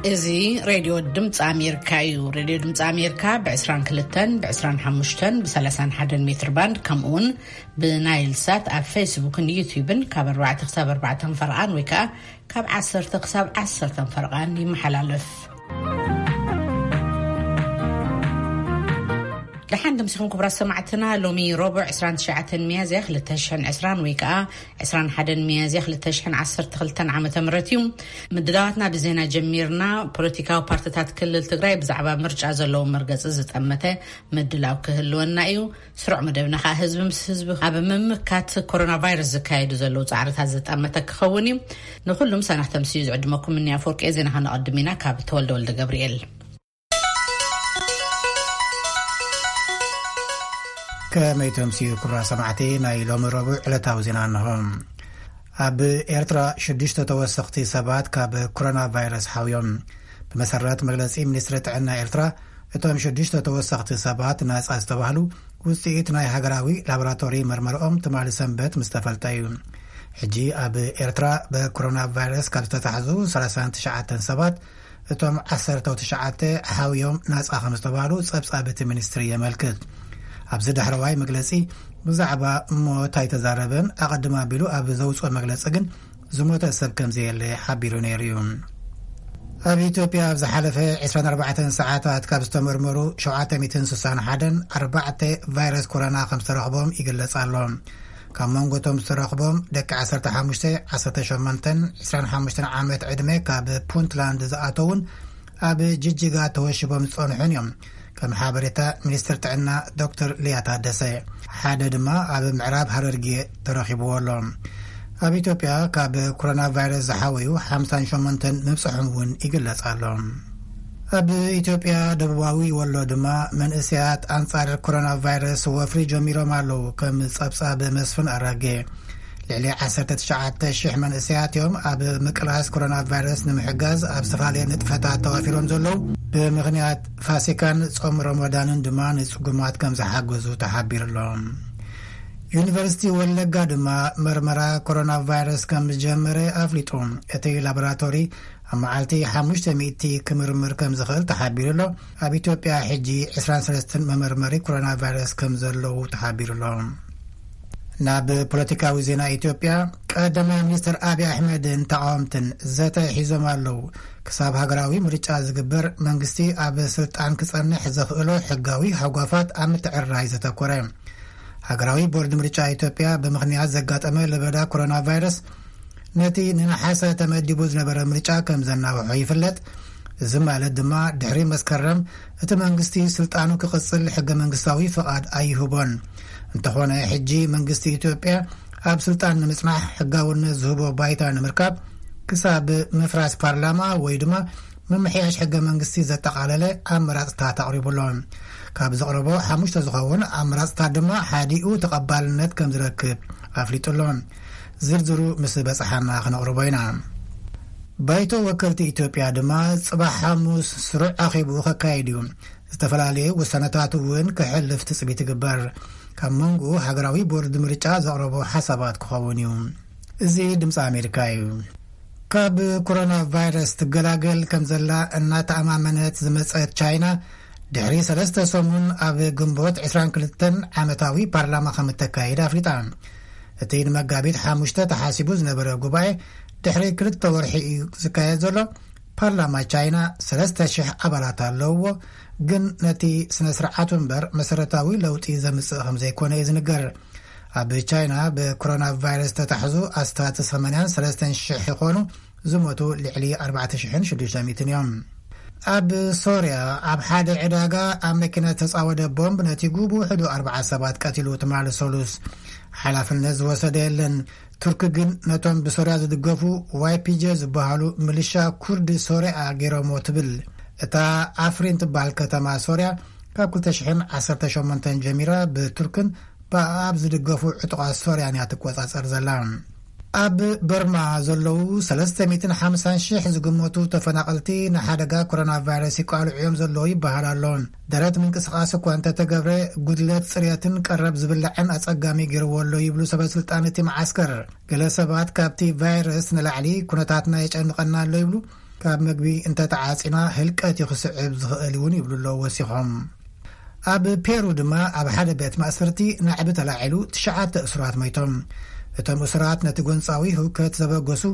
እዚ ሬድዮ ድምፂ ኣሜሪካ እዩ። ሬድዮ ድምፂ ኣሜሪካ ብ22፣ ብ25፣ ብ31 ሜትር ባንድ፣ ከምኡውን ብናይል ሳት ኣብ ፌስቡክን ዩቲዩብን ካብ 4 ክሳብ 4 ፈርቓን ወይ ከዓ ካብ 10 ክሳብ 10 ፈርቓን ይመሓላለፍ። ደሓን ደምሲኹም ክቡራት ሰማዕትና። ሎሚ ረቡዕ 29 ሚያዝያ 2020 ወይ ከዓ 21 ሚያዝያ 2012 ዓመተ ምህረት እዩ። ምድላዋትና ብዜና ጀሚርና። ፖለቲካዊ ፓርቲታት ክልል ትግራይ ብዛዕባ ምርጫ ዘለዎም መርገፂ ዝጠመተ ምድላው ክህልወና እዩ። ስሩዕ መደብና ከዓ ህዝቢ ምስ ህዝቢ ኣብ ምምካት ኮሮና ቫይረስ ዝካየዱ ዘለዉ ፃዕርታት ዝጠመተ ክኸውን እዩ። ንኩሉም ሰናህ ተምስዩ ዝዕድመኩም እኒ ኣፈወርቂ ዜና ከነቐድም ኢና። ካብ ተወልደ ወልደ ገብርኤል። ከመይ ተምስዩ ክቡራት ሰማዕቲ፣ ናይ ሎሚ ረቡዕ ዕለታዊ ዜና እንሆ። ኣብ ኤርትራ ሽዱሽተ ተወሰኽቲ ሰባት ካብ ኮሮና ቫይረስ ሓውዮም። ብመሰረት መግለጺ ሚኒስትሪ ጥዕና ኤርትራ፣ እቶም ሽዱሽተ ተወሰኽቲ ሰባት ናጻ ዝተባህሉ ውጽኢት ናይ ሃገራዊ ላቦራቶሪ መርመርኦም ትማሊ ሰንበት ምስ ተፈልጠ እዩ። ሕጂ ኣብ ኤርትራ ብኮሮና ቫይረስ ካብ ዝተታሕዙ 39 ሰባት እቶም 19 ሓውዮም ናጻ ከም ዝተባህሉ ጸብጻብ እቲ ሚኒስትሪ የመልክት። ኣብዚ ዳሕረዋይ መግለጺ ብዛዕባ ሞት ኣይተዛረበን። ኣቐድም ኣቢሉ ኣብ ዘውጽኦ መግለጺ ግን ዝሞተ ሰብ ከም ዘየለ ሓቢሩ ነይሩ እዩ። ኣብ ኢትዮጵያ ኣብ ዝሓለፈ 24 ሰዓታት ካብ ዝተመርመሩ 761 ኣርባዕተ ቫይረስ ኮሮና ከም ዝተረኽቦም ይግለጽ ኣሎ። ካብ መንጎ እቶም ዝተረኽቦም ደቂ 15፣ 18፣ 25 ዓመት ዕድመ ካብ ፑንትላንድ ዝኣተውን ኣብ ጅጅጋ ተወሽቦም ዝጸንሑን እዮም። ከም ሓበሬታ ሚኒስትር ጥዕና ዶክተር ሊያ ታደሰ፣ ሓደ ድማ ኣብ ምዕራብ ሃረርጌ ተረኺብዎ ኣሎ። ኣብ ኢትዮጵያ ካብ ኮሮና ቫይረስ ዝሓወዩ 58 ምብጽሖም እውን ይግለጽ ኣሎ። ኣብ ኢትዮጵያ ደቡባዊ ወሎ ድማ መንእሰያት ኣንጻር ኮሮና ቫይረስ ወፍሪ ጀሚሮም ኣለዉ። ከም ጸብጻብ መስፍን ኣራጌ፣ ልዕሊ 19,000 መንእሰያት እዮም ኣብ ምቅላስ ኮሮና ቫይረስ ንምሕጋዝ ኣብ ዝተፈላለየ ንጥፈታት ተዋፊሮም ዘለዉ። ብምኽንያት ፋሲካን ጾም ረመዳንን ድማ ንጽጉማት ከም ዝሓገዙ ተሓቢሩ ኣሎ። ዩኒቨርሲቲ ወለጋ ድማ መርመራ ኮሮና ቫይረስ ከም ዝጀመረ ኣፍሊጡ። እቲ ላቦራቶሪ ኣብ መዓልቲ 500 ክምርምር ከም ዝኽእል ተሓቢሩ ኣሎ። ኣብ ኢትዮጵያ ሕጂ 23 መመርመሪ ኮሮና ቫይረስ ከም ዘለዉ ተሓቢሩ ኣሎ። ናብ ፖለቲካዊ ዜና ኢትዮጵያ፣ ቀዳማይ ሚኒስትር ኣብይ ኣሕመድን ተቃወምትን ዘተ ሒዞም ኣለዉ። ክሳብ ሃገራዊ ምርጫ ዝግበር፣ መንግስቲ ኣብ ስልጣን ክጸንሕ ዘኽእሎ ሕጋዊ ሃጓፋት ኣብ ምትዕርራይ ዘተኮረ። ሃገራዊ ቦርድ ምርጫ ኢትዮጵያ ብምኽንያት ዘጋጠመ ለበዳ ኮሮና ቫይረስ ነቲ ንነሓሰ ተመዲቡ ዝነበረ ምርጫ ከም ዘናውሖ ይፍለጥ። እዚ ማለት ድማ ድሕሪ መስከረም እቲ መንግስቲ ስልጣኑ ክቕጽል ሕገ መንግስታዊ ፍቓድ ኣይህቦን። እንተኾነ ሕጂ መንግስቲ ኢትዮጵያ ኣብ ስልጣን ንምጽናሕ ሕጋውነት ዝህቦ ባይታ ንምርካብ ክሳብ ምፍራስ ፓርላማ ወይ ድማ ምምሕያሽ ሕገ መንግስቲ ዘጠቓለለ ኣመራጽታት ኣቕሪቡ ኣሎ። ካብ ዘቕረቦ ሓሙሽተ ዝኸውን ኣመራጽታት ድማ ሓዲኡ ተቐባልነት ከም ዝረክብ ኣፍሊጡ ኣሎ። ዝርዝሩ ምስ በጽሓና ክነቕርቦ ኢና። ባይቶ ወከልቲ ኢትዮጵያ ድማ ጽባሕ ሓሙስ ስሩዕ ኣኼብኡ ከካይድ እዩ። ዝተፈላለዩ ውሳነታት እውን ክሕልፍ ትጽቢት ይግበር። ካብ መንጎ ሃገራዊ ቦርድ ምርጫ ዘቕረቦ ሓሳባት ክኸውን እዩ። እዚ ድምፂ ኣሜሪካ እዩ። ካብ ኮሮና ቫይረስ ትገላገል ከም ዘላ እናተኣማመነት ዝመጸት ቻይና፣ ድሕሪ ሰለስተ ሰሙን ኣብ ግንቦት 22 ዓመታዊ ፓርላማ ከም እተካይድ ኣፍሊጣ። እቲ ንመጋቢት 5 ተሓሲቡ ዝነበረ ጉባኤ ድሕሪ ክልተ ወርሒ እዩ ዝካየድ ዘሎ። ፓርላማ ቻይና 3,000 ኣባላት ኣለውዎ፣ ግን ነቲ ስነ ስርዓቱ እምበር መሰረታዊ ለውጢ ዘምጽእ ከም ዘይኮነ እዩ ዝንገር። ኣብ ቻይና ብኮሮና ቫይረስ ተታሕዙ ኣስታት 83,000 ይኾኑ፣ ዝሞቱ ልዕሊ 4,600 እዮም። ኣብ ሶርያ ኣብ ሓደ ዕዳጋ ኣብ መኪና ዝተጻወደ ቦምብ ነቲጉ ብውሕዱ ኣርብዓ ሰባት ቀቲሉ ትማሊ ሰሉስ። ሓላፍነት ዝወሰደ የለን። ቱርክ ግን ነቶም ብሶርያ ዝድገፉ ዋይፒጄ ዝበሃሉ ምልሻ ኩርድ ሶርያ ገይሮሞ ትብል። እታ ኣፍሪን ትበሃል ከተማ ሶርያ ካብ 2018 ጀሚራ ብቱርክን ብኣብ ዝድገፉ ዕጡቓት ሶርያን እያ ትቆጻጸር ዘላ። ኣብ በርማ ዘለዉ 350,000 ዝግመቱ ተፈናቐልቲ ንሓደጋ ኮሮና ቫይረስ ይቃልዑ እዮም ዘለዉ ይበሃል ኣሎ። ደረት ምንቅስቓስ እኳ እንተተገብረ፣ ጉድለት ጽሬትን ቀረብ ዝብላዕን ኣጸጋሚ ገይርዎ ኣሎ ይብሉ ሰበ ስልጣን እቲ መዓስከር። ገለ ሰባት ካብቲ ቫይረስ ንላዕሊ ኩነታትና የጨንቐና ኣሎ ይብሉ። ካብ መግቢ እንተተዓጺና ህልቀት እዩ ክስዕብ ዝኽእል እውን ይብሉ ኣለዉ ወሲኾም። ኣብ ፔሩ ድማ ኣብ ሓደ ቤት ማእሰርቲ ናዕቢ ተላዒሉ ትሽዓተ እሱራት ሞይቶም። እቶም እሱራት ነቲ ጎንጻዊ ህውከት ዘበገሱ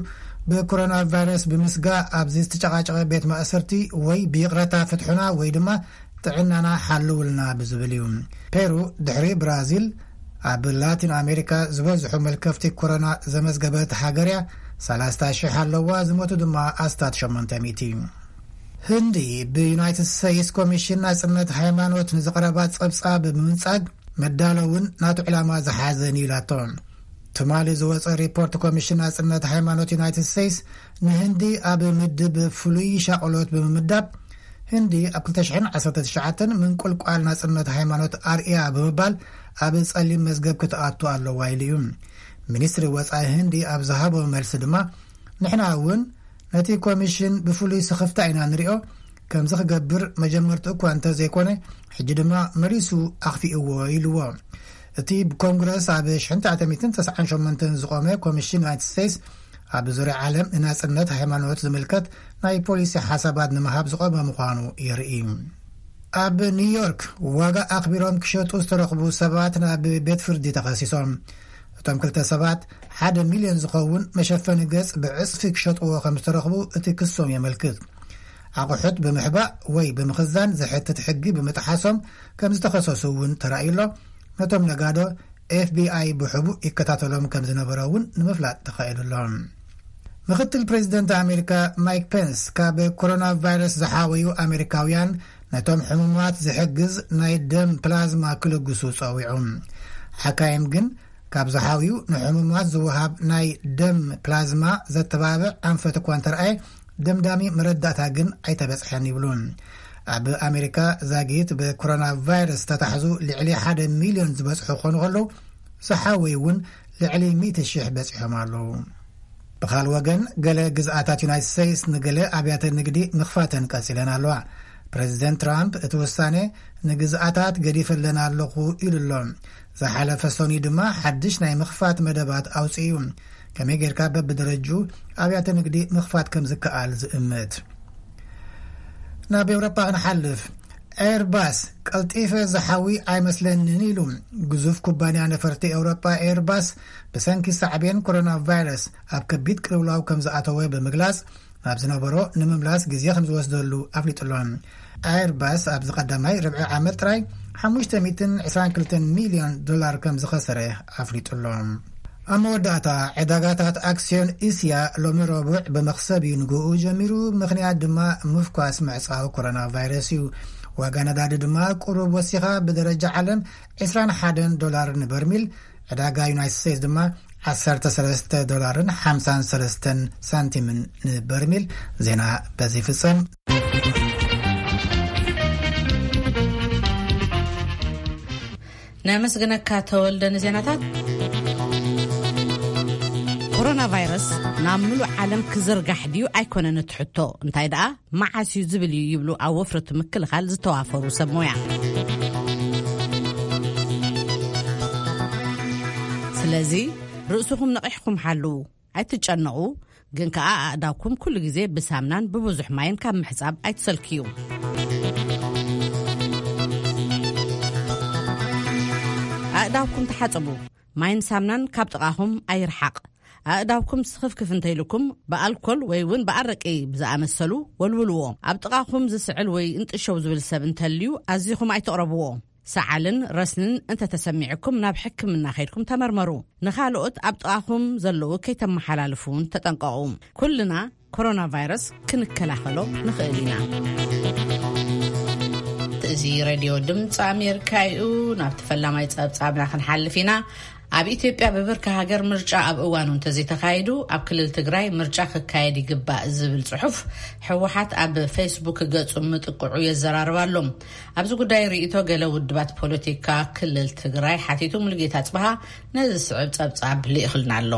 ብኮሮና ቫይረስ ብምስጋእ ኣብዚ ዝተጨቃጨቀ ቤት ማእሰርቲ ወይ ብይቕረታ ፍትሑና ወይ ድማ ጥዕናና ሓልውልና ብዝብል እዩ። ፔሩ ድሕሪ ብራዚል ኣብ ላቲን ኣሜሪካ ዝበዝሑ መልከፍቲ ኮሮና ዘመዝገበት ሃገር እያ። ሰላሳ ሽሕ ኣለዋ፣ ዝሞቱ ድማ ኣስታት ሸሞንተ ሚእቲ። ህንዲ ብዩናይትድ ስቴትስ ኮሚሽን ናጽነት ሃይማኖት ንዝቐረባ ጸብጻብ ብምንጻግ መዳለውን ናቱ ዕላማ ዝሓዘን እዩ ኢላቶ። ትማሊ ዝወጸ ሪፖርት ኮሚሽን ናጽነት ሃይማኖት ዩናይትድ ስቴትስ ንህንዲ ኣብ ምድብ ፍሉይ ሻቕሎት ብምምዳብ ህንዲ ኣብ ክልተ ሽሕን ዓሰርተ ትሽዓተን ምንቁልቋል ናጽነት ሃይማኖት ኣርእያ ብምባል ኣብ ጸሊም መዝገብ ክትኣቱ ኣለዋ ኢሉ እዩ። ሚኒስትሪ ወጻኢ ህንዲ ኣብ ዝሃቦ መልሲ ድማ ንሕና እውን ነቲ ኮሚሽን ብፍሉይ ስኽፍታ ኢና ንሪኦ፣ ከምዚ ክገብር መጀመርትኡ እኳ እንተዘይኮነ ሕጂ ድማ መሊሱ ኣኽፊእዎ ኢልዎ። እቲ ብኮንግረስ ኣብ ሽሕን ትሽዓተ ሚእትን ተስዓን ሸሞንተን ዝቖመ ኮሚሽን ዩናይትድ ስቴትስ ኣብ ዙርያ ዓለም ንናጽነት ሃይማኖት ዝምልከት ናይ ፖሊሲ ሓሳባት ንምሃብ ዝቖመ ምዃኑ የርኢ። ኣብ ኒውዮርክ ዋጋ ኣኽቢሮም ክሸጡ ዝተረኽቡ ሰባት ናብ ቤት ፍርዲ ተኸሲሶም። እቶም ክልተ ሰባት ሓደ ሚልዮን ዝኸውን መሸፈኒ ገጽ ብዕጽፊ ክሸጥዎ ከም ዝተረኽቡ እቲ ክሶም የመልክት። ኣቑሑት ብምሕባእ ወይ ብምኽዛን ዝሕትት ሕጊ ብምጥሓሶም ከም ዝተኸሰሱ እውን ተራእዩ ኣሎ። ነቶም ነጋዶ ኤፍቢኣይ ብሕቡእ ይከታተሎም ከም ዝነበረ እውን ንምፍላጥ ተኻኢሉ ኣሎ። ምክትል ፕሬዚደንት ኣሜሪካ ማይክ ፔንስ ካብ ኮሮና ቫይረስ ዝሓወዩ ኣሜሪካውያን ነቶም ሕሙማት ዝሕግዝ ናይ ደም ፕላዝማ ክልግሱ ጸዊዑ። ሓካይም ግን ካብ ዝሓውዩ ንሕሙማት ዝወሃብ ናይ ደም ፕላዝማ ዘተባብዕ ኣንፈት እኳ እንተረኣየ ደምዳሚ መረዳእታ ግን ኣይተበጽሐን ይብሉ። ኣብ ኣሜሪካ ዛጊት ብኮሮና ቫይረስ ተታሕዙ ልዕሊ ሓደ ሚልዮን ዝበጽሑ ክኾኑ ከለዉ ዝሓወዩ እውን ልዕሊ ሚእቲ ሽሕ በጺሖም ኣለዉ። ብኻል ወገን ገለ ግዝኣታት ዩናይትድ ስቴትስ ንገለ ኣብያተ ንግዲ ምኽፋተን ቀጺለን ኣለዋ። ፕሬዚደንት ትራምፕ እቲ ውሳኔ ንግዝኣታት ገዲፈለን ኣለኹ ኢሉ ኣሎ። ዝሓለፈ ሰኑይ ድማ ሓድሽ ናይ ምኽፋት መደባት ኣውጺኡ እዩ። ከመይ ጌርካ በብደረጅኡ ኣብያተ ንግዲ ምኽፋት ከም ዝከኣል ዝእምት። ናብ ኤውሮጳ ክንሓልፍ። ኤርባስ ቀልጢፈ ዝሓዊ ኣይመስለንን ኢሉ። ግዙፍ ኩባንያ ነፈርቲ ኤውሮጳ ኤርባስ ብሰንኪ ሳዕቤን ኮሮና ቫይረስ ኣብ ከቢድ ቅልውላው ከም ዝኣተወ ብምግላጽ ናብ ዝነበሮ ንምምላስ ግዜ ከም ዝወስደሉ ኣፍሊጡ ኣሎ። ኤርባስ ኣብዚ ቀዳማይ ርብዒ ዓመት ጥራይ ሓሙሽተ ሚእትን ዕስራን ክልተን ሚልዮን ዶላር ከም ዝኸሰረ ኣፍሊጡ ኣሎ። ኣብ መወዳእታ ዕዳጋታት ኣክስዮን እስያ ሎሚ ረቡዕ ብመኽሰብ እዩ ንግኡ ጀሚሩ። ምኽንያት ድማ ምፍኳስ ምዕጻው ኮሮና ቫይረስ እዩ። ዋጋ ነዳዲ ድማ ቁሩብ ወሲኻ ብደረጃ ዓለም ዕስራን ሓደን ዶላር ንበርሚል፣ ዕዳጋ ዩናይትድ ስቴትስ ድማ ዓሰርተ ሰለስተ ዶላርን ሓምሳን ሰለስተን ሳንቲምን ንበርሚል። ዜና በዚ ይፍጸም። ነመስግነካ ተወልደ ንዜናታት። ኮሮና ቫይረስ ናብ ምሉእ ዓለም ክዝርጋሕ ድዩ ኣይኮነን እቲ ሕቶ፣ እንታይ ደኣ መዓስ እዩ ዝብል እዩ ይብሉ ኣብ ወፍሪ ምክልኻል ዝተዋፈሩ ሰብ ሞያ። ስለዚ ርእስኹም ነቒሕኩም ሓልዉ፣ ኣይትጨነቑ፣ ግን ከኣ ኣእዳውኩም ኩሉ ግዜ ብሳምናን ብብዙሕ ማይን ካብ ምሕጻብ ኣይትሰልክዩ። ኣእዳውኩም ተሓጸቡ፣ ማይን ሳምናን ካብ ጥቓኹም ኣይርሓቕ። ኣእዳውኩም ስኽፍክፍ እንተኢልኩም ብኣልኮል ወይ እውን ብኣረቂ ብዝኣመሰሉ ወልውልዎ። ኣብ ጥቓኹም ዝስዕል ወይ እንጥሸው ዝብል ሰብ እንተልዩ ኣዚኹም ኣይትቕረብዎ። ሰዓልን ረስንን እንተተሰሚዕኩም ናብ ሕክምና ከይድኩም ተመርመሩ። ንኻልኦት ኣብ ጥቓኹም ዘለዉ ከይተመሓላልፉ እውን ተጠንቀቑ። ኩልና ኮሮና ቫይረስ ክንከላኸሎ ንኽእል ኢና። እዚ ሬድዮ ድምፂ ኣሜሪካ እዩ። ናብቲ ፈላማይ ጸብጻብና ክንሓልፍ ኢና። ኣብ ኢትዮጵያ ብብርኪ ሃገር ምርጫ ኣብ እዋኑ እንተዘይተኻይዱ ኣብ ክልል ትግራይ ምርጫ ክካየድ ይግባእ ዝብል ጽሑፍ ህወሓት ኣብ ፌስቡክ ገጹ ምጥቅዑ የዘራርብ ኣሎ። ኣብዚ ጉዳይ ርእይቶ ገለ ውድባት ፖለቲካ ክልል ትግራይ ሓቲቱ ሙሉጌታ ጽብሃ ነዚ ዝስዕብ ጸብጻብ ልኢኽልና ኣሎ።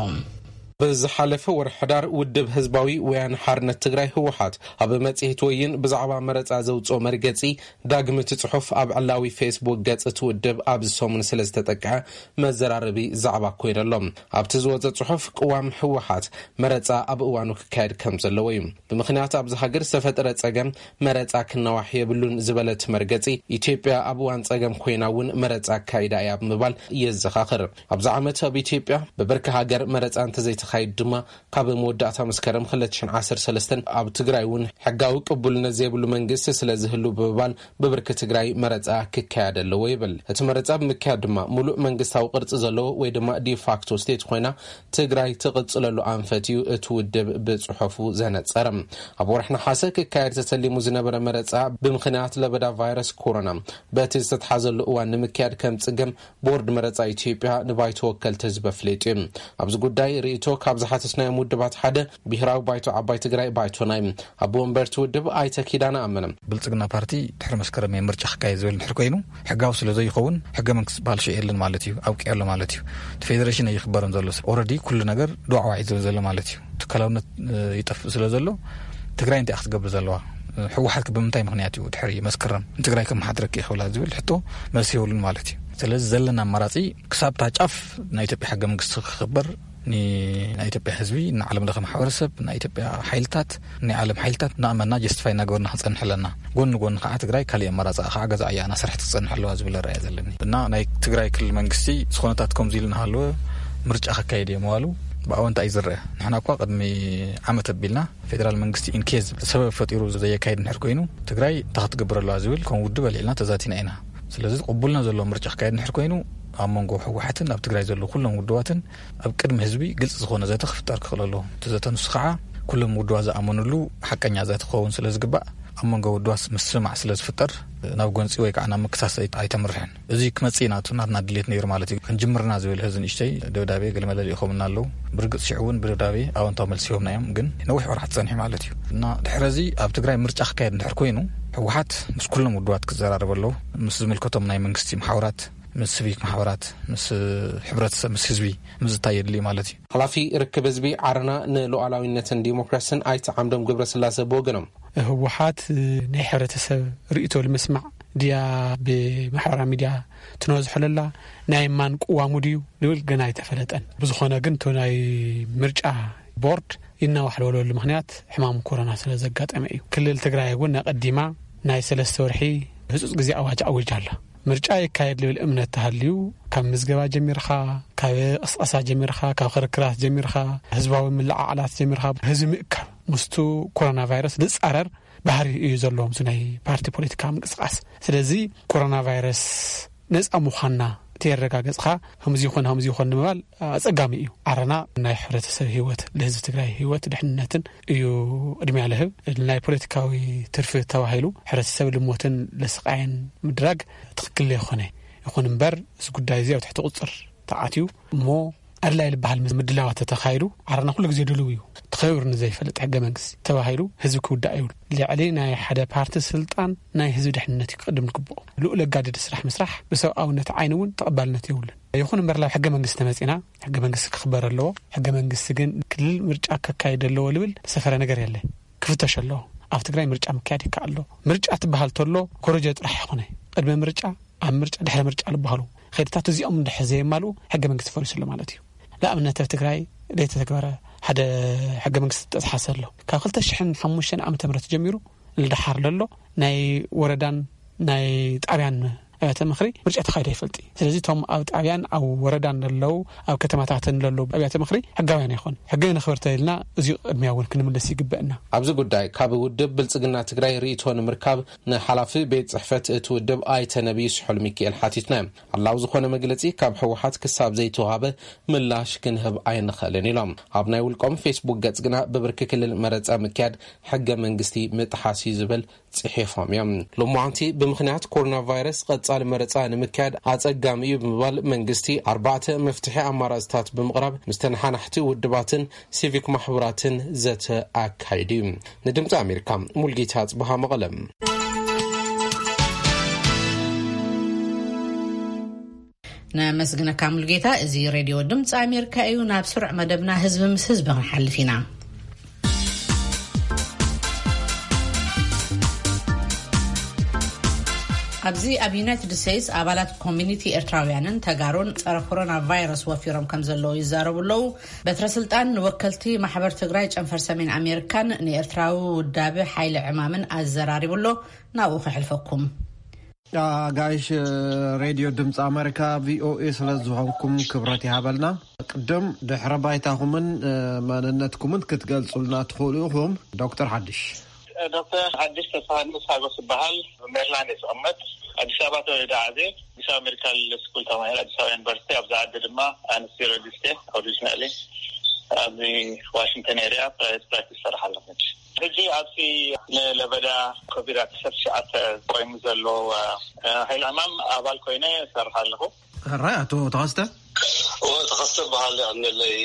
ብዝሓለፈ ወርሒ ሕዳር ውድብ ህዝባዊ ወያነ ሓርነት ትግራይ ህወሓት ኣብ መጽሔት ወይን ብዛዕባ መረጻ ዘውጽኦ መርገጺ ዳግም እቲ ጽሑፍ ኣብ ዕላዊ ፌስቡክ ገጽ እቲ ውድብ ኣብዚ ሰሙን ስለ ዝተጠቅዐ መዘራረቢ ዛዕባ ኮይኑ ኣሎ። ኣብቲ ዝወጸ ጽሑፍ ቅዋም ህወሓት መረጻ ኣብ እዋኑ ክካየድ ከም ዘለዎ እዩ። ብምኽንያት ኣብዚ ሃገር ዝተፈጠረ ጸገም መረጻ ክናዋሕ የብሉን ዝበለት መርገጺ፣ ኢትዮጵያ ኣብ እዋን ጸገም ኮይና እውን መረጻ ኣካይዳ እያ ብምባል የዘኻኽር። ኣብዚ ዓመት ኣብ ኢትዮጵያ ብብርኪ ሃገር መረጻ እንተዘይተኻይድ ድማ ካብ መወዳእታ መስከረም ክልተ ሽሕን ዓሰርተ ሰለስተን ኣብ ትግራይ እውን ሕጋዊ ቅቡልነት ዘይብሉ መንግስቲ ስለ ዝህሉ ብምባል ብብርኪ ትግራይ መረጻ ክካየድ ኣለዎ ይብል። እቲ መረጻ ብምክያድ ድማ ሙሉእ መንግስታዊ ቅርጺ ዘለዎ ወይ ድማ ዲፋክቶ ስቴት ኮይና ትግራይ ትቕጽለሉ ኣንፈት እዩ እቲ ውድብ ብጽሑፉ ዘነጸረ። ኣብ ወርሒ ነሓሰ ክካየድ ተተሊሙ ዝነበረ መረጻ ብምኽንያት ለበዳ ቫይረስ ኮሮና በቲ ዝተትሓዘሉ እዋን ንምክያድ ከም ጽገም ቦርድ መረጻ ኢትዮጵያ ንባይቶ ወከልቲ ህዝቢ ኣፍሊጡ እዩ። ኣብዚ ጉዳይ ርእይቶ ካብ ዝሓተትናዮም ውድባት ሓደ ብሄራዊ ባይቶ ዓባይ ትግራይ ባይቶና እዩ። ኣቦ ወንበርቲ ውድብ ኣይተ ኪዳነ ኣመነ። ብልጽግና ፓርቲ ድሕሪ መስከረም ምርጫ ክካየድ ዝብል ድሕር ኮይኑ ሕጋዊ ስለ ዘይኸውን ሕገ መንግስቲ ዝበሃል ሽእ የለን ማለት እዩ፣ ኣብቂዑ ኣሎ ማለት እዩ። እቲ ፌደሬሽን ኣይኽበርን ዘሎ፣ ኦልሬዲ ኩሉ ነገር ዶዕዋዕ እዩ ዝብል ዘሎ ማለት እዩ። ትካላውነት ይጠፍእ ስለ ዘሎ ትግራይ እንታይ ክትገብር ዘለዋ? ህወሓት ብምንታይ ምኽንያት እዩ ድሕሪ መስከረም ንትግራይ ከመሓድረኪ ይኽእላ ዝብል ሕቶ መልሲ የብሉን ማለት እዩ። ስለዚ ዘለና ኣማራፂ ክሳብ እታ ጫፍ ናይ ኢትዮጵያ ሕገ መንግስቲ ክኽበር፣ ናይ ኢትዮጵያ ህዝቢ፣ ንዓለም ለኸ ማሕበረሰብ፣ ናይ ኢትዮጵያ ሓይልታት፣ ናይ ዓለም ሓይልታት እናኣመና ጀስቲፋይ እናገበርና ክንፀንሕ ኣለና። ጎኒ ጎኒ ከዓ ትግራይ ካሊእ ኣማራፂ ከዓ ገዛ ዕያ እናሰርሐት ክትፀንሕ ኣለዋ ዝብል ራእያ ዘለኒ እና ናይ ትግራይ ክልል መንግስቲ ዝኾነታት ከምዚ ኢሉ እናሃለወ ምርጫ ከካየድ እየ መዋሉ ብኣወንታ እዩ ዝረአ። ንሕና እኳ ቅድሚ ዓመት ኣቢልና ፌደራል መንግስቲ ኢንኬዝ ሰበብ ፈጢሩ ዘየካየድ እንድሕር ኮይኑ ትግራይ እንታይ ክትገብር ኣለዋ ዝብል ከም ውድብ ኣልዒልና ተዛቲና ኢና። ስለዚ ቅቡልና ዘለዎ ምርጫ ክካየድ እንድሕር ኮይኑ ኣብ መንጎ ህወሓትን ኣብ ትግራይ ዘለዉ ኩሎም ውድባትን ኣብ ቅድሚ ህዝቢ ግልፂ ዝኾነ ዘተ ክፍጠር ክኽእል ኣለዎ። እቲ ዘተ ንሱ ከዓ ኩሎም ውድባት ዝኣመኑሉ ሓቀኛ ዘተ ክኸውን ስለ ዝግባእ ኣብ መንጎ ውድባት ምስማዕ ስለ ዝፍጠር ናብ ጎንፂ ወይ ከዓ ናብ ምክሳስ ኣይተምርሕን። እዚ ክመጽእ ኢና፣ እቲ ናትና ድሌት ነይሩ ማለት እዩ። ክንጅምርና ዝብል ሕዚ ንእሽተይ ደብዳቤ ገለመለ ልኢኾምና ኣለዉ። ብርግጽ ሽዑ እውን ብደብዳቤ ኣወንታዊ መልሲ ሂቦምና እዮም፣ ግን ነዊሕ ወርሓት ጸኒሑ ማለት እዩ። እና ድሕሪ እዚ ኣብ ትግራይ ምርጫ ክካየድ እንድሕር ኮይኑ፣ ህወሓት ምስ ኩሎም ውድባት ክዘራረብ ኣለዎ። ምስ ዝምልከቶም ናይ መንግስቲ መሓውራት፣ ምስ ሲቪክ ማሕበራት፣ ምስ ሕብረተሰብ፣ ምስ ህዝቢ ምዝታይ የድሊ ማለት እዩ። ሓላፊ ርክብ ህዝቢ ዓረና ንሉዓላዊነትን ዲሞክራሲን ኣይተ ዓምዶም ገብረስላሴ ብወገኖም፣ ህወሓት ናይ ሕብረተሰብ ርእይቶ ንምስማዕ ድያ ብማሕበራዊ ሚድያ ትነዝሖ ለላ፣ ናይ ማን ቅዋሙ ድዩ ዝብል ገና ኣይተፈለጠን። ብዝኾነ ግን እቲ ናይ ምርጫ ቦርድ ይናዋሕ ዝበለሉ ምኽንያት ሕማም ኮሮና ስለ ዘጋጠመ እዩ። ክልል ትግራይ እውን ኣቐዲማ ናይ ሰለስተ ወርሒ ህፁፅ ግዜ ኣዋጅ ኣዊጃ ኣላ። ምርጫ ይካየድ ዝብል እምነት ተሃልዩ ካብ ምዝገባ ጀሚርኻ፣ ካብ ቅስቀሳ ጀሚርኻ፣ ካብ ክርክራት ጀሚርኻ፣ ህዝባዊ ምልዓዓላት ጀሚርኻ፣ ህዝቢ ምእካብ ምስቱ ኮሮና ቫይረስ ዝፃረር ባህሪ እዩ ዘለዎም እዚ ናይ ፓርቲ ፖለቲካ ምንቅስቃስ። ስለዚ ኮሮና ቫይረስ ነፃ ምዃንና ተየረጋገፅኻ ከምዚ ይኾን ከምዚ ይኾን ንምባል ኣፀጋሚ እዩ። ዓረና ናይ ሕብረተሰብ ህይወት፣ ለህዝቢ ትግራይ ህይወት ድሕንነትን እዩ ቅድሚያ ለህብ። ናይ ፖለቲካዊ ትርፊ ተባሂሉ ሕብረተሰብ ልሞትን ለስቃይን ምድራግ ትኽክል ለይኾነ። ይኹን እምበር እዚ ጉዳይ እዚ ኣብ ትሕቲ ቁፅር ተኣትዩ እሞ ኣድላይ ዝበሃል ምድላዋት ተተኻይዱ ዓረና ኩሉ ግዜ ድልው እዩ። ተኸቢሩ ንዘይፈልጥ ሕገ መንግስቲ ተባሂሉ ህዝቢ ክውዳእ ይብሉ። ልዕሊ ናይ ሓደ ፓርቲ ስልጣን ናይ ህዝቢ ድሕንነት እዩ ክቕድም ዝግብኦ። ልኡል ኣጋድድ ስራሕ ምስራሕ ብሰብኣውነት ዓይኒ እውን ተቐባልነት የብሉን። ይኹን እምበር ናብ ሕገ መንግስቲ ተመጺና ሕገ መንግስቲ ክኽበር ኣለዎ። ሕገ መንግስቲ ግን ክልል ምርጫ ከካይድ ኣለዎ ልብል ተሰፈረ ነገር የለ። ክፍተሽ ኣለዎ። ኣብ ትግራይ ምርጫ ምክያድ ይከኣል ኣሎ። ምርጫ ትበሃል ተሎ ኮረጆ ጥራሕ ይኾነ። ቅድሚ ምርጫ ኣብ ምርጫ ድሕሪ ምርጫ ዝበሃሉ ኸይድታት እዚኦም እንድሕር ዘየማልኡ ሕገ መንግስቲ ፈሪሱ ኣሎ ማለት እዩ። ንኣብነት ኣብ ትግራይ ዘይተተግበረ ሓደ ሕገ መንግስቲ ተጥሓሰ ኣሎ። ካብ ክልተ ሽሕን ሓሙሽተን ዓመተ ምህረት ጀሚሩ ንደሓር ለሎ ናይ ወረዳን ናይ ጣብያን ኣብያተ ምኽሪ ምርጫ ተኻይዶ ይፈልጥ እዩ። ስለዚ እቶም ኣብ ጣብያን ኣብ ወረዳን ለለዉ ኣብ ከተማታትን ለለዉ ኣብያተ ምኽሪ ሕጋውያን ኣይኾን። ሕገ ነኽብር ተኢልና እዚ ቅድሚያ እውን ክንምልስ ይግበእና። ኣብዚ ጉዳይ ካብ ውድብ ብልጽግና ትግራይ ርእይቶ ንምርካብ ንሓላፊ ቤት ጽሕፈት እቲ ውድብ ኣይተ ነብዩ ስሑል ሚካኤል ሓቲትና። ኣላው ዝኾነ መግለጺ ካብ ህወሓት ክሳብ ዘይተዋሃበ ምላሽ ክንህብ ኣይንኽእልን ኢሎም። ኣብ ናይ ውልቆም ፌስቡክ ገጽ ግና ብብርኪ ክልል መረጻ ምክያድ ሕገ መንግስቲ ምጥሓስ እዩ ዝብል ጽሒፎም እዮም። ሎማዓንቲ ብምኽንያት ኮሮና ቫይረስ ቀጻሊ መረጻ ንምክያድ ኣጸጋሚ እዩ ብምባል መንግስቲ ኣርባዕተ መፍትሒ ኣማራጽታት ብምቕራብ ምስ ተነሓናሕቲ ውድባትን ሲቪክ ማሕበራትን ዘተ ኣካይዱ እዩ። ንድምፂ ኣሜሪካ ሙልጌታ ኣጽብሃ መቐለ። ነመስግነካ ሙሉጌታ። እዚ ሬድዮ ድምፂ ኣሜሪካ እዩ። ናብ ስሩዕ መደብና ህዝቢ ምስ ህዝቢ ክንሓልፍ ኢና። ኣብዚ ኣብ ዩናይትድ ስቴትስ ኣባላት ኮሚኒቲ ኤርትራውያንን ተጋሩን ጸረ ኮሮና ቫይረስ ወፊሮም ከም ዘለዉ ይዛረቡ ኣለዉ። በትረ ስልጣን ንወከልቲ ማሕበር ትግራይ ጨንፈር ሰሜን ኣሜሪካን ንኤርትራዊ ውዳቢ ሓይሊ ዕማምን ኣዘራሪቡ ኣሎ። ናብኡ ከሕልፈኩም። ኣጋይሽ ሬድዮ ድምፂ ኣሜሪካ ቪኦኤ ስለ ዝኾንኩም ክብረት ይሃበልና። ቅድም ድሕረ ባይታኹምን መንነትኩምን ክትገልጹልና ትኽእሉ ኢኹም? ዶክተር ሓድሽ። ዶክተር ሓድሽ ተስፋሃንስ ሓጎስ ይበሃል። ሜሪላንድ እየ ዝቕመጥ። ኣዲስ ኣበባ ተወሊደ ዓብየ። ኣዲስ ኣበባ ሜዲካል ስኩል ተማሂረ፣ ኣዲስ ኣበባ ዩኒቨርሲቲ። ኣብዚ ዓዲ ድማ ኣነስቴዚዮሎጂስት እየ ኦሪጂናሊ። ኣብዚ ዋሽንግተን ኤሪያ ፕራይቬት ፕራክቲስ ይሰርሕ ኣለኹ። ሕጂ ኣብዚ ንለበዳ ኮቪድ ዓሰርተ ትሽዓተ ቆይሙ ዘሎ ሓይሊ ዕማም ኣባል ኮይነ እሰርሕ ኣለኹ። ሕራይ ኣቶ ተኸስተ። ተኸስተ በሃል ኣነለይ።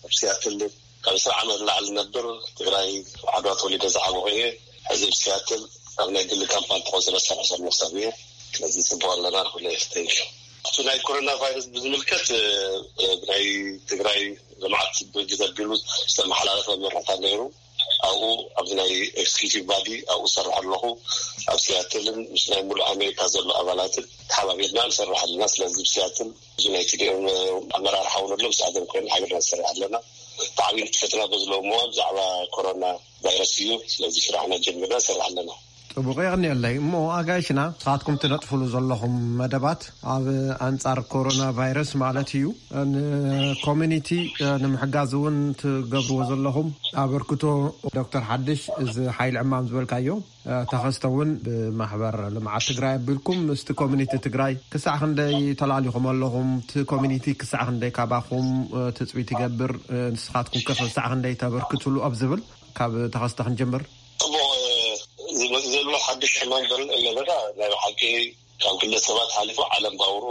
ኣብ ሲያትል ካብ ዕስራ ዓመት ንላዕሊ ነብር። ትግራይ ዓድዋ ተወሊደ ዝዓበኹ እየ። ሕዚ ኣብ ሲያትል ኣብ ናይ ግሊ ካምፓኒ ተቆፅረ ዝሰርሕ ዘለኹ ሰብ እየ። ስለዚ ፅቡቅ ኣለና ንኩሉ። Thank you። እቲ ናይ ኮሮና ቫይረስ ብዝምልከት ናይ ትግራይ ልምዓት ድርጅት ኣቢሉ ዝተመሓላለፈ መምርሕታት ነይሩ። ኣብኡ ኣብዚ ናይ ኤክስኪዩቲቭ ባዲ ኣብኡ ዝሰርሕ ኣለኹ። ኣብ ሲያትልን ምስ ናይ ሙሉእ ኣሜሪካ ዘሎ ኣባላትን ተሓባቢርና ንሰርሕ ኣለና። ስለዚ ኣብ ሲያትል እዚ ናይ ቲዲኤም ኣመራርሓ እውን ኣሎ። ምስኣቶም ኮይና ሓቢርና ንሰርሕ ኣለና። ብዓብዩ ንጥፈትና በዝለዎ እሞ ብዛዕባ ኮሮና ቫይረስ እዩ። ስለዚ ስራሕና ጀሚርና ንሰርሕ ኣለና። ጽቡቕ የቕንየለይ። እሞ ኣጋይሽና ንስኻትኩም ትነጥፍሉ ዘለኹም መደባት ኣብ ኣንጻር ኮሮና ቫይረስ ማለት እዩ ንኮሚኒቲ ንምሕጋዝ እውን ትገብርዎ ዘለኹም ኣበርክቶ። ዶክተር ሓድሽ፣ እዚ ሓይሊ ዕማም ዝበልካዮ ተኸስተ እውን ብማሕበር ልምዓት ትግራይ ኣቢልኩም ምስቲ ኮሚኒቲ ትግራይ ክሳዕ ክንደይ ተላሊኹም ኣለኹም? እቲ ኮሚኒቲ ክሳዕ ክንደይ ካባኹም ትፅቢት ይገብር? ንስኻትኩም ከ ክሳዕ ክንደይ ተበርክትሉ ኣብ ዝብል ካብ ተኸስተ ክንጀምር። ጽቡቕ። ዝመጽእ ዘሎ ሓድሽ ሕማም በር ለበዳ ናይ ብሓቂ ካብ ግለሰባት ሓሊፉ ዓለም ባውሩ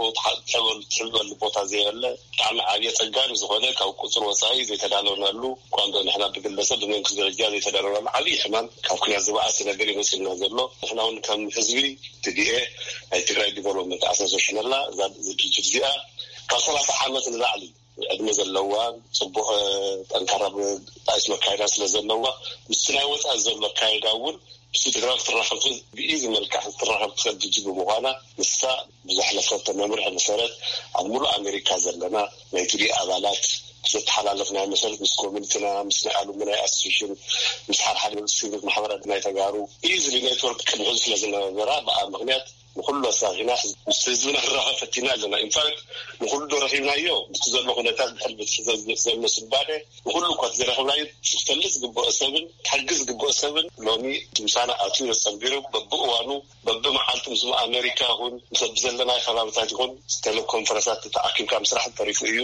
ትሕበሉ ቦታ ዘየለ ብጣዕሚ ዓብየ ጸጋን ዝኾነ ካብ ቁጽሪ ወጻኢ ዘይተዳለውናሉ እኳ እንዶ ንሕና ብግለሰብ ብመንግስቲ ደረጃ ዘይተዳለውናሉ ዓብይ ሕማም ካብ ኩናት ዝበኣሰ ነገር ይመጽእና ዘሎ። ንሕና እውን ከም ህዝቢ ትዲኤ ናይ ትግራይ ዲቨሎፕመንት ኣሶሲሽን ኣላ። እዛ ድርጅት እዚኣ ካብ ሰላሳ ዓመት ንላዕሊ ዕድመ ዘለዋ ጽቡቕ ጠንካራ ጣይስ መካየዳ ስለ ዘለዋ ምስቲ ናይ ወፃኢ ዘሎ ኣካየዳ እውን ምስቲ ትግራይ ክትራኸብ ብኢዚ መልክዕ ክትራኸብ ትኽእል ድርጅት ብምዃና ንሳ ብዘሕለፈቶ መምርሒ መሰረት ኣብ ሙሉእ ኣሜሪካ ዘለና ናይ ቲዲ ኣባላት ብዘተሓላለፍናዮ መሰረት ምስ ኮሚኒቲና ምስ ናይ ኣሉምናይ ኣሶሲሽን ምስ ሓድሓደ ሲቪክ ማሕበራት ናይ ተጋሩ ኢዝሊ ኔትወርክ ቅድሚ ሕዚ ስለ ዝነበራ ብኣ ምክንያት ንኩሉ ኣሳኺና ምስ ህዝብና ክራኸብ ፈቲና ኣለና። ኢንፋክት ንኩሉ ዶ ረኺብናዮ? ብቲ ዘሎ ኩነታት ድሕሪ ብትሒ ዘሎ ስባደ ንኩሉ እኳ እቲ ዝረኸብናዮ ክፈልጥ ዝግብኦ ሰብን ክሕግዝ ዝግብኦ ሰብን ሎሚ ምሳና ኣትዩ ተጸንቢሩ በብእዋኑ በብመዓልቲ ምስ ኣሜሪካ ይኹን ምስ ብዘለናይ ከባብታት ይኹን ቴሌኮንፈረንሳት ተኣኪብካ ምስራሕ ተሪፉ እዩ።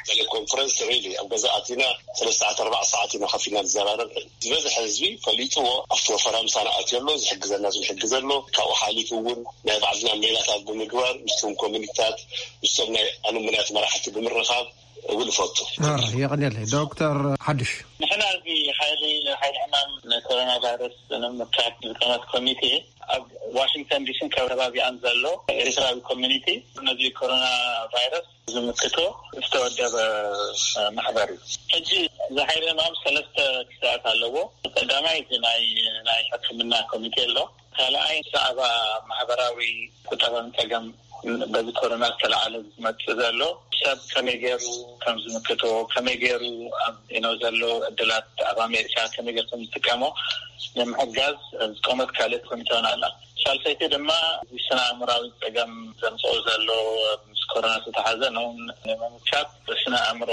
ቴሌኮንፈረንስ ሪሊ ኣብ ገዛ ኣቲና ሰለስተ ሰዓት ኣርባዕተ ሰዓት ኢና ከፊልና ንዘራረብ። ዝበዝሐ ህዝቢ ፈሊጥዎ ኣብቲ ወፈራ ምሳና ኣትዮ ኣሎ፣ ዝሕግዘና ዝሕግዘ ኣሎ። ካብኡ ሓሊፉ እውን ናይ ባዕልና ሜላታት ብምግባር ምስቶም ኮሚኒታት ምስቶም ናይ ኣሉምናያት መራሕቲ ብምርኻብ እውን እፈቱ። ማራ የቐንየለይ ዶክተር ሓድሽ። ንሕና እዚ ሓይሊ ሓይሊ ዕማም ንኮሮና ቫይረስ ንምምካት ዝቀመጥ ኮሚቴ ኣብ ዋሽንግተን ዲሲን ከባቢኣን ዘሎ ኤርትራዊ ኮሚኒቲ ነዚ ኮሮና ቫይረስ ዝምክቶ ዝተወደበ ማሕበር እዩ። ሕጂ እዚ ሓይሊ ዕማም ሰለስተ ክስታት ኣለዎ። ቀዳማይ እቲ ናይ ናይ ሕክምና ኮሚቴ ኣሎ። ካልኣይ ብዛዕባ ማሕበራዊ ቁጠባዊ ጸገም በዚ ኮሮና ዝተለዓለ ዝመጽእ ዘሎ ሰብ ከመይ ገይሩ ከም ዝምክቶ ከመይ ገይሩ ኣብ ኢኖ ዘሎ እድላት ኣብ ኣሜሪካ ከመይ ገይሩ ከም ዝጥቀሞ ንምሕጋዝ ዝቆመት ካልእ ኮሚቴ እውን ኣላ። ሳልሰይቲ ድማ እዚ ስነ ኣእምራዊ ጸገም ዘምጽኦ ዘሎ ምስ ኮሮና ዝተሓዘ ነውን ንምምካት ስነ ኣእምሮ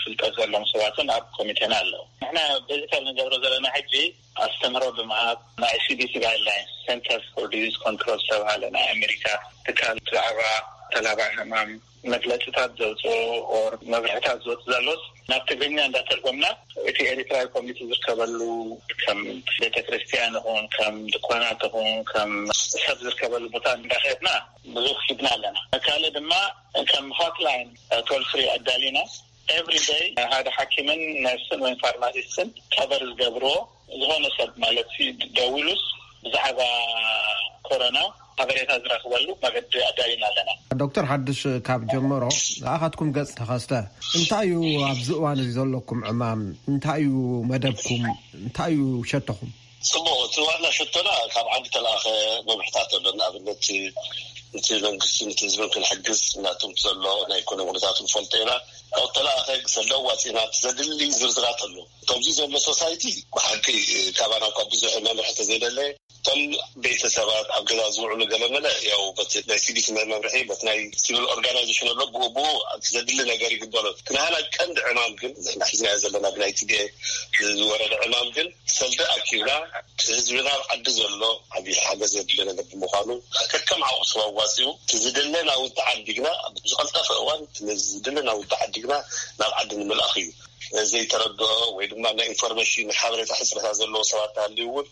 ፍልጠት ዘለዎም ሰባትን ኣብ ኮሚቴና ኣለዉ። ንሕና ቤዚካል ንገብሮ ዘለና ሕጂ ኣስተምህሮ ብምሃብ ናይ ሲዲሲ ጋይድላይንስ ሴንተርስ ፎር ዲዚዝ ኮንትሮል ዝተባሃለ ናይ ኣሜሪካ ትካል ብዛዕባ ተላባዒ ሕማም መግለፅታት ዘውፅኦ ኦር መብርሕታት ዝወፅ ዘሎስ ናብ ትግርኛ እንዳተርጎምና እቲ ኤሪትራዊ ኮሚኒቲ ዝርከበሉ ከም ቤተክርስትያን ይኹን ከም ድኳናት ይኹን ከም ሰብ ዝርከበሉ ቦታ እንዳኸድና ብዙሕ ሂብና ኣለና። ካልእ ድማ ከም ሆትላይን ቶል ፍሪ ኣዳሊና ኤቭሪ ደይ ሓደ ሓኪምን ነርስን ወይም ፋርማሲስትን ከበር ዝገብርዎ ዝኾነ ሰብ ማለት ደዊሉስ ብዛዕባ ኮሮና ሓበሬታ ዝረኽበሉ መገዲ ኣዳሊና ኣለና። ዶክተር ሓድሽ ካብ ጀመሮ፣ ኣኻትኩም ገጽ ተኸስተ፣ እንታይ እዩ ኣብዚ እዋን እዚ ዘለኩም ዕማም? እንታይ እዩ መደብኩም? እንታይ እዩ ሸቶኹም? ጽቡቕ፣ እቲ ዋና ሸቶና ካብ ዓዲ ተለኣኸ መምርሕታት ኣሎ። ንኣብነት እቲ መንግስቲ ነቲ ህዝብን ክንሕግዝ ናቶም ዘሎ ናይ ኢኮኖሚ ኩነታት ንፈልጦ ኢና። ካብ ተለኣኸ ሰለ ዋፂና ዘድሊ ዝርዝራት ኣሎ። ከምዚ ዘሎ ሶሳይቲ ብሓቂ ካባና እኳ ብዙሕ መምርሒ ተዘይደለ፣ እቶም ቤተሰባት ኣብ ገዛ ዝውዕሉ ገለመለ ያው በቲ ናይ ሲቪክ መምርሒ በቲ ናይ ሲቪል ኦርጋናይዜሽን ኣሎ ብኡ ብኡ ዘድሊ ነገር ይግበሮ። እቲ ናህና ቀንዲ ዕማም ግን ንሕና ሒዝናዮ ዘለና ብናይ ቲ ዲ ኤ ዝወረደ ዕማም ግን ሰልዲ ኣኪብና ህዝብና ኣብ ዓዲ ዘሎ ዓብዪ ሓገዝ ዘድሊ ነገር ብምዃኑ ከከም ዓቕሱ ኣዋፂኡ እቲ ዝድለ ናውቲ ዓዲግና ብዝቐልጠፈ እዋን እቲ ዝድለ ናውቲ ዓዲግና ናብ ዓዲ ንምልኣኽ እዩ። ዘይተረድኦ ወይ ድማ ናይ ኢንፎርሜሽን ሓበሬታ ሕፅረታት ዘለዎ ሰባት ተሃልዩ እውን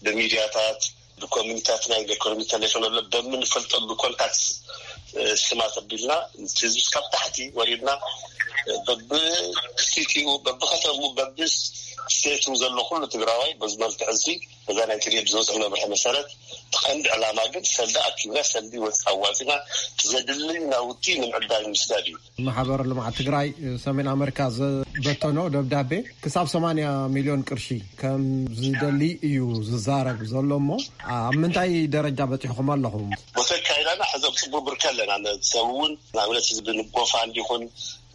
ብሚድያታት ብኮሚኒታት ናይ ኢኮኖሚ ተሌፎን ኣሎ በምንፈልጠሉ ኮንታክት ስማት ኣቢልና ህዝቢ ካብ ታሕቲ ወሪድና በብክቲቲኡ በብከተሙ በብስቴቱ ዘሎ ኩሉ ትግራዋይ በዚ መልክዕ እዚ እዛ ናይ ትድኤ ብዝወፅእ መምርሒ መሰረት እቲ ቀንዲ ዕላማ ግን ሰልዲ ኣኪብና ሰልዲ ወፅ ኣዋፂና ዘድሊ ናውቲ ንምዕዳል ምስዳድ እዩ። ማሕበር ልምዓት ትግራይ ሰሜን ኣመሪካ ዝበተኖ ደብዳቤ ክሳብ ሰማንያ ሚልዮን ቅርሺ ከም ዝደሊ እዩ ዝዛረብ ዘሎ እሞ ኣብ ምንታይ ደረጃ በፂሕኹም ኣለኹም? ቦታ ኣካይዳና ሕዞም ፅቡቅ ብርከ ኣለና። ሰብ እውን ንኣብነት ህዝቢ ንጎፋንድ ይኹን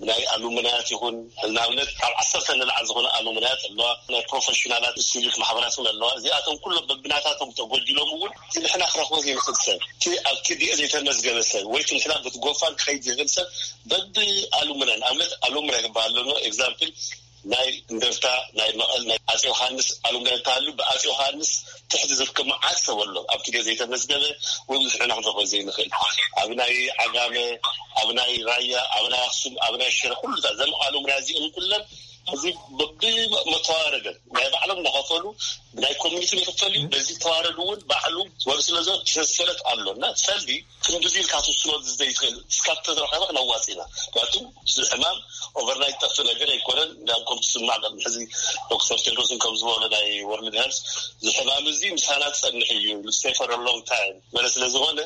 ናይ ኣሉምናያት ይኹን ንኣብነት ካብ ዓሰርተ ንላዕሊ ዝኾነ ኣሉምናያት ኣለዋ። ናይ ፕሮፌሽናላት ሲቪክ ማሕበራት እውን ኣለዋ። እዚኣቶም ኩሎም በብናታቶም ተጎዲሎም እውን እቲ ንሕና ክረኽቦ ዘይንኽእል ሰብ እቲ ኣብ ቲ ዲ ኤ ዘይተመዝገበ ሰብ ወይ እቲ ንሕና በቲ ጎፋንድ ክኸይድ ዘይኽእል ሰብ በቢ ኣሉምናይ ንኣብነት ኣሉምናይ ክበሃል ኣለኖ ኤግዛምፕል ናይ እንደርታ ናይ መቐል ናይ ኣጼ ዮሃንስ ኣሉምናይ እንተሃሉ ብኣጼ ዮሃንስ ትሕቲ ዝርከብ መዓት ሰብ ኣሎ ኣብቲ ግዜ ዘይተመዝገበ ወይ ብዙሕ ኢና ክንረኽቦ ዘይንኽእል ኣብ ናይ ዓጋመ ኣብ ናይ ራያ ኣብ ናይ ኣክሱም ኣብ ናይ ሽረ ኩሉ ዘም ኣሉምናይ እዚኦም ኩለን እዚ ብመተዋረደ ናይ ባዕሎም እናኸፈሉ ናይ ኮሚኒቲ ይኽፈል እዩ በዚ ተዋረድ እውን ባዕሉ ወር ስለዞ ተሰሰለት ኣሎ እና ሰልዲ ክንድዚ ኢልካ ትውስኖ ዘይትኽእል እስካብ ተዝረኸበ ክነዋፅ ኢና ምክንያቱ እዚ ሕማም ኦቨርናይት ጠፍእ ነገር ኣይኮነን። እንዳም ከም ትስማዕ ቅድሚ ሕዚ ዶክተር ቴድሮስን ከም ዝበሎ ናይ ወርልድ ሄልስ እዚ ሕማም እዚ ምሳና ዝፀንሕ እዩ stay for a long time መለ ስለ ዝኾነ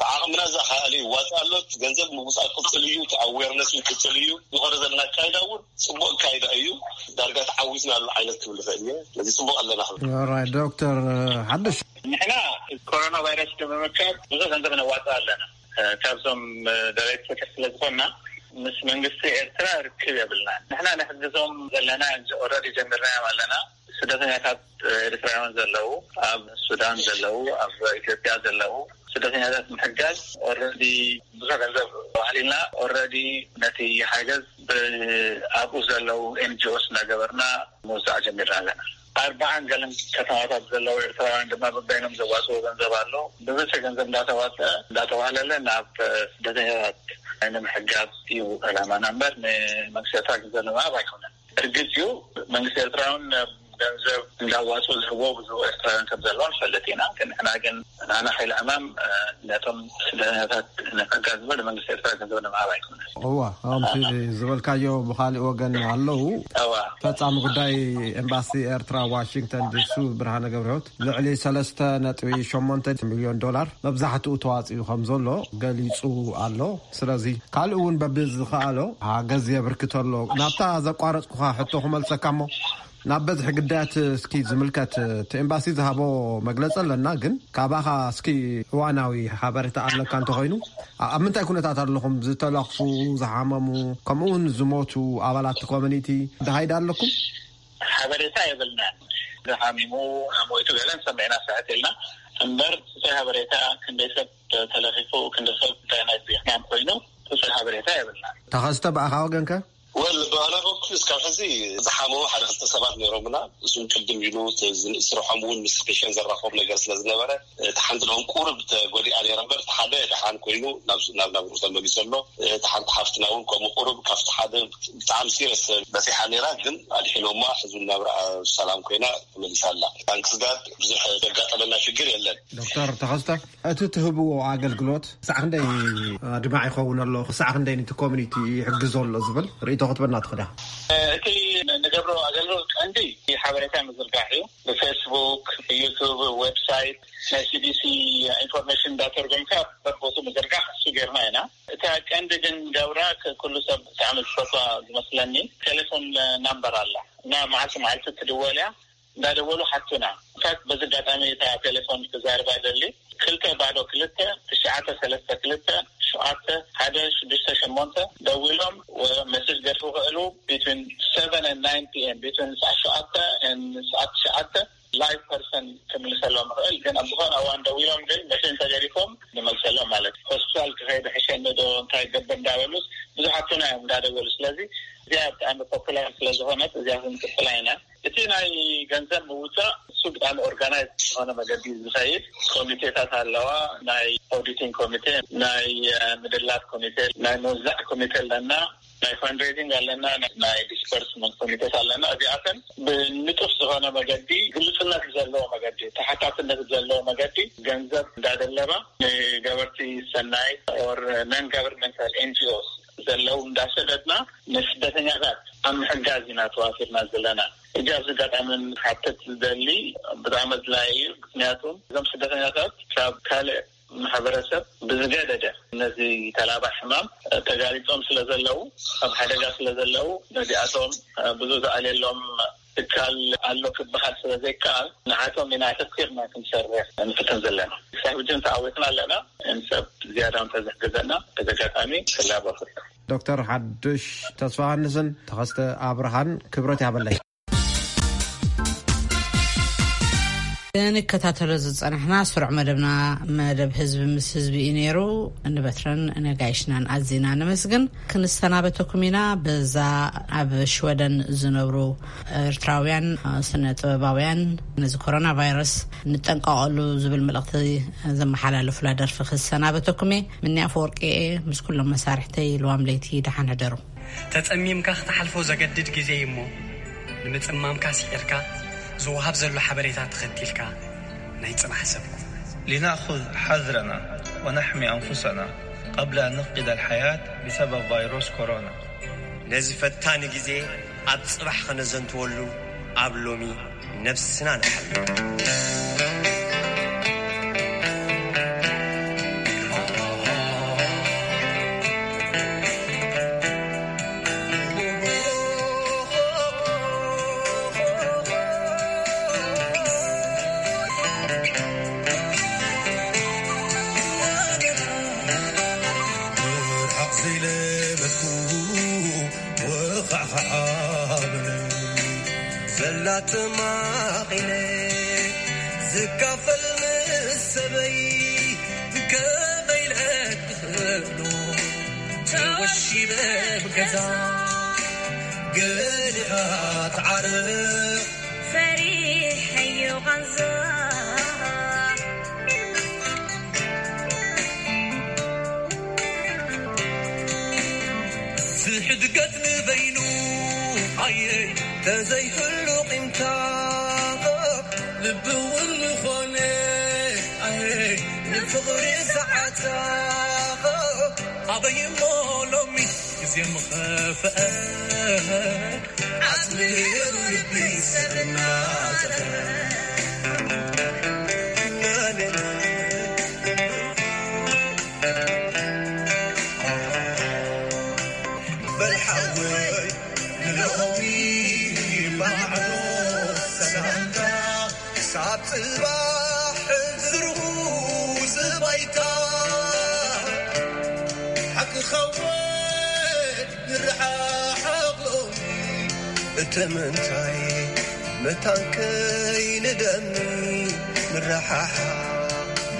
ብዓቕምና ዝኣኸኣለ ይዋፃእ ኣሎ። እቲ ገንዘብ ምውፃእ ቅፅል እዩ። እቲ ኣዌርነስ እውን ቅፅል እዩ። ዝኸረ ዘለና ኣካይዳ እውን ፅቡቅ ኣካይዳ እዩ። ዳርጋ ተዓዊትና ኣሎ ዓይነት ክብል ይኽእል እየ። ስለዚ ፅቡቅ ኣለና ክብል ኦራይት ዶክተር ሓድሽ ንሕና ኮሮና ቫይረስ ንምምካት ብዙሕ ገንዘብ ነዋፅእ ኣለና። ካብዞም ደረይቲ ፍትሕ ስለ ዝኾንና ምስ መንግስቲ ኤርትራ ርክብ የብልና። ንሕና ንሕግዞም ዘለና ኦረዲ ጀሚርናዮም ኣለና። ስደተኛታት ኤርትራውያን ዘለዉ ኣብ ሱዳን ዘለዉ ኣብ ኢትዮጵያ ዘለዉ ስደተኛታት ምሕጋዝ ኦረዲ ብዙሕ ገንዘብ ባህሊና ኦረዲ ነቲ ሓገዝ ብኣብኡ ዘለዉ ኤንጂኦስ እናገበርና ምውዛዕ ጀሚርና ኣለና። ኣርባዓን ገለን ከተማታት ዘለዉ ኤርትራውያን ድማ በበይኖም ዘዋፅኦ ገንዘብ ኣሎ። ብብዝሒ ገንዘብ እንዳተዋፀ እንዳተዋህለለ ናብ ስደተኛታት ንምሕጋዝ እዩ ዕላማና እምበር ንመንግስቲ ኤርትራ ገንዘብ ንምሃብ ኣይኮነን። እርግፅ እዩ መንግስቲ ኤርትራ እውን ገንዘብ እንዳዋፅኡ ዝህቦ ብዙ ኤርትራውያን ከም ዘለዋ ንፈልጥ ኢና። ግን ንሕና ግን ናና ሓይሊ ዕማም ነቶም ስደተኛታት ንምሕጋዝ እምበር ንመንግስቲ ኤርትራ ገንዘብ ንምሃብ ኣይኮነን። እዋ ከምቲ ዝበልካዮ ብካሊእ ወገን ኣለዉ። እዋ ፈጻሚ ጉዳይ ኤምባሲ ኤርትራ ዋሽንግተን ዲሲ ብርሃነ ገብረህይወት ልዕሊ ሰለስተ ነጥቢ ሸሞንተ ሚልዮን ዶላር መብዛሕትኡ ተዋጺኡ ከም ዘሎ ገሊጹ ኣሎ። ስለዚ ካልእ እውን በብዝኸኣሎ ሓገዝ የብርክት ኣሎ። ናብታ ዘቋረጽኩኻ ሕቶ ክመልሰካ እሞ ናብ በዝሒ ግዳያት እስኪ ዝምልከት እቲ ኤምባሲ ዝሃቦ መግለጺ ኣለና፣ ግን ካባኻ እስኪ እዋናዊ ሓበሬታ ኣለካ እንተኾይኑ ኣብ ምንታይ ኩነታት ኣለኹም? ዝተለኽፉ፣ ዝሓመሙ፣ ከምኡ እውን ዝሞቱ ኣባላት ኮሚኒቲ ደሃይዳ ኣለኩም? ሓበሬታ የብልና። ዝሓሚሙ ሞይቱ ገለን ሰሚዕና ስሕት ኢልና እምበር፣ እታይ ሓበሬታ ክንደይ ሰብ ተለኺፉ፣ ክንደይ ሰብ እንታይ ናይ ሕማም ኮይኑ፣ እታይ ሓበሬታ የብልና። ተኸስተ ብኣኻ ወገንከ? ወል ብኣና በኩል እስካብ ሕዚ ዝሓመሙ ሓደ ክልተ ሰባት ነይሮምና። እሱም ቅድም ኢሉ እቲ ዝንእስርሖም እውን ምስ ፔሽን ዘራኽቦም ነገር ስለ ዝነበረ፣ እቲ ሓንቲ ደኦም ቁሩብ ተጎዲኣ ነይራ እምበር፣ እቲ ሓደ ደሓን ኮይኑ ናብ ናብ ናብርኡ ተመሊሱ ኣሎ። እቲ ሓንቲ ሓፍትና እውን ከምኡ ቁሩብ ካብቲ ሓደ ብጣዕሚ ሲሪየስ በፂሓ ነይራ፣ ግን ኣድሒኖማ ሕዚ እውን ናብራ ሰላም ኮይና ተመሊሳ ኣላ። ታንክስ ጋድ ብዙሕ ዘጋጠመና ሽግር የለን። ዶክተር ተኸስተ፣ እቲ ትህብዎ ኣገልግሎት ክሳዕ ክንደይ ኣድማዕ ይኸውን ኣሎ? ክሳዕ ክንደይ ነቲ ኮሚኒቲ ይሕግዞ ኣሎ ዝብል ርእይቶ ክትበና ትኽዳ? እቲ ንገብሮ ኣገልግሎት ቀንዲ ሓበሬታ ምዝርጋሕ እዩ። ብፌስቡክ፣ ብዩቱብ፣ ዌብሳይት ናይ ሲዲሲ ኢንፎርሜሽን እንዳተርጎምካ በቦቱ ምዝርጋሕ እሱ ጌርና ኢና። እታ ቀንዲ ግን ገብራ ኩሉ ሰብ ብጣዕሚ ዝፈትዋ ዝመስለኒ ቴሌፎን ናምበር ኣላ እና መዓልቲ መዓልቲ ትድወል እያ። እንዳደወሉ ሓቱና። ንሳት በዚ ኣጋጣሚ እታ ቴሌፎን ክዛርባ ደሊ ክልተ ባዶ ክልተ ትሽዓተ ሰለስተ ክልተ ሸውዓተ ሓደ ሽዱሽተ ሸሞንተ ደዊሎም መሴጅ ገድፉ ክእሉ። ቢትዊን ሰቨን and ናይን ፒ ኤም፣ ቢትዊን ሰዓት ሸውዓተ and ሰዓት ትሽዓተ ላይቭ ፐርሰን ክምልሰሎም ይኽእል። ግን ኣብ ዝኾነ እዋን ደዊሎም ግን መሽን ተገዲፎም ንመልሰሎም ማለት እዩ። ሆስፒታል ክኸይድ ሕሸኒ ዶ እንታይ ገብር እንዳበሉስ ብዙሓቱና እዮም እንዳደወሉ። ስለዚ እዚኣ ብጣዕሚ ፖፑላር ስለዝኾነት እዚኣ ክንቅፅላ ኢና። እቲ ናይ ገንዘብ ምውፃእ እሱ ብጣዕሚ ኦርጋናይዝ ዝኾነ መገዲ ዝኸይድ ኮሚቴታት ኣለዋ። ናይ ኦዲቲንግ ኮሚቴ፣ ናይ ምድላት ኮሚቴ፣ ናይ ምውዛዕ ኮሚቴ ኣለና፣ ናይ ፈንድሬዚንግ ኣለና፣ ናይ ዲስፐርስመንት ኮሚቴት ኣለና። እዚኣተን ብንጡፍ ዝኾነ መገዲ፣ ግልፅነት ዘለዎ መገዲ፣ ተሓታትነት ዘለዎ መገዲ ገንዘብ እንዳደለባ ንገበርቲ ሰናይ ኦር ነን ጋቨርንመንታል ኤንጂኦስ ዘለዉ እንዳሰደድና ንስደተኛታት ኣብ ምሕጋዝ ኢና ተዋፊርና ዘለና። እጃ ኣብዚ ኣጋጣሚ ሓተት ዝደሊ ብጣዕሚ ኣድላይ እዩ። ምክንያቱ እዞም ስደተኛታት ካብ ካልእ ማሕበረሰብ ብዝገደደ ነዚ ተላባዕ ሕማም ተጋሊጾም ስለ ዘለዉ፣ ኣብ ሓደጋ ስለ ዘለዉ፣ ነዚኣቶም ብዙ ዝኣልየሎም ትካል ኣሎ ክበሃል ስለ ዘይከኣል፣ ንዓቶም ኢና ኣተኲርና ክንሰርሕ ንፍትን ዘለና። ክሳብ ሕጂ ተዓዊትና ኣለና። ንሰብ ዝያዳ እንተዝሕግዘና በዚ ኣጋጣሚ ክላበ እፈቱ። ዶክተር ሓዱሽ ተስፋ ዮሃንስን ተኸስተ ኣብርሃን ክብረት ያበለይ። ንከታተሎ ዝጸናሕና ስሩዕ መደብና፣ መደብ ህዝቢ ምስ ህዝቢ እዩ ነይሩ። ንበትረን ነጋይሽናን ኣዚና ነመስግን። ክንሰናበተኩም ኢና። በዛ ኣብ ሽወደን ዝነብሩ ኤርትራውያን ስነ ጥበባውያን ነዚ ኮሮና ቫይረስ ንጠንቀቐሉ ዝብል መልእኽቲ ዘመሓላለፉላ ደርፊ ክሰናበተኩም እየ። ምንያ ፈወርቂ እየ፣ ምስ ኩሎም መሳርሕተይ ልዋም ለይቲ ደሓን ሕደሩ። ተጸሚምካ ክትሓልፎ ዘገድድ ግዜ እዩ እሞ፣ ንምጽማምካ ስዒርካ ዝወሃብ ዘሎ ሓበሬታ ተኸቲልካ ናይ ጽባሕ ሰብ ኩን። لنأخذ حذرنا ونحمي أنفسنا قبل أن نفقد الحياة بسبب فيروس كورونا. ነዚ ፈታኒ ግዜ ኣብ ጽባሕ ከነዘንትወሉ ኣብ ሎሚ ነብስና ንሓሉ። ርሓቕ ዘይለመድኩ ወኻዕኻዕ በለ። ዘላ ተማቒለ ዝካፈል ምስ ሰበይ ከመይ ኢለ ክኽእሎ? ተወሺበ ብገዛ ገሊኻ ትዓርቕ ፈሪሐዮ ቃንዛ። ዝሕድገት ንበይኑ ኣየ ተዘይህሉ ቂምታ ልቢ እውን ዝኾነ ኣየ ንፍቕሪ ሰዓታ ኣበይ እሞ ሎሚ ግዜ ምኸፍአ ዓጽሚ ልቢ ሰብ እናጠፈ። በል ሓወይ ንሎሚ ማዕዶ ሰላምታ ክሳብ ጽባሕ ዝርጉ ዝባይታ ሓቂ ኸውን ንረሓሓቕ ሎሚ። እቲ ምንታይ መታን ከይንደሚ ንረሓሓቕ።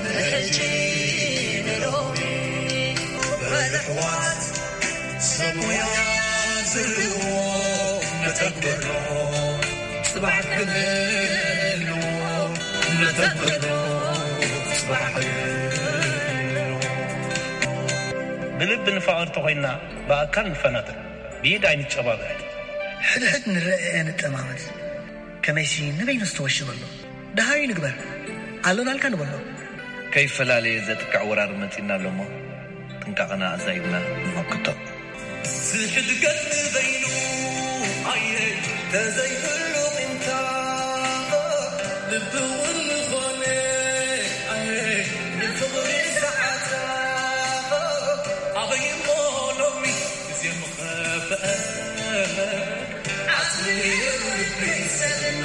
ንሕጂ ንሎሚ በል ኣሕዋት ሰብ ሞያ ዝህልዎ ነተግብሮ ጽባሕ ክንህልዎ ነተግብሮ ጽባሕ ክንህልዎ። ብልቢ ንፋቐር ተኾይንና ብኣካል ንፈናጠር፣ ብኢድ ኣይንጨባበጥ። ሕድሕድ ንረኣየ ንጠማመት፣ ከመይሲ ንበይኑ ዝተወሸበ ኣሎ። ደሃዩ ንግበር፣ ኣለናልካ ንበሎ። ከይፈላለየ ዘጥቅዕ ወራር መጺእና ኣሎ እሞ፣ ጥንቃቐና ኣዛይድና ንመክቶ። ሕድገት ንበይኑ ኣየ ተዘይህሉ ቂምታ ልቢ እውን ዝኾነ ኣየ ንፍቕሪ ሰዓታ ኣበይ እሞ ሎሚ ግዜ ምኸፍአ ዓስሊ ልቢ ሰና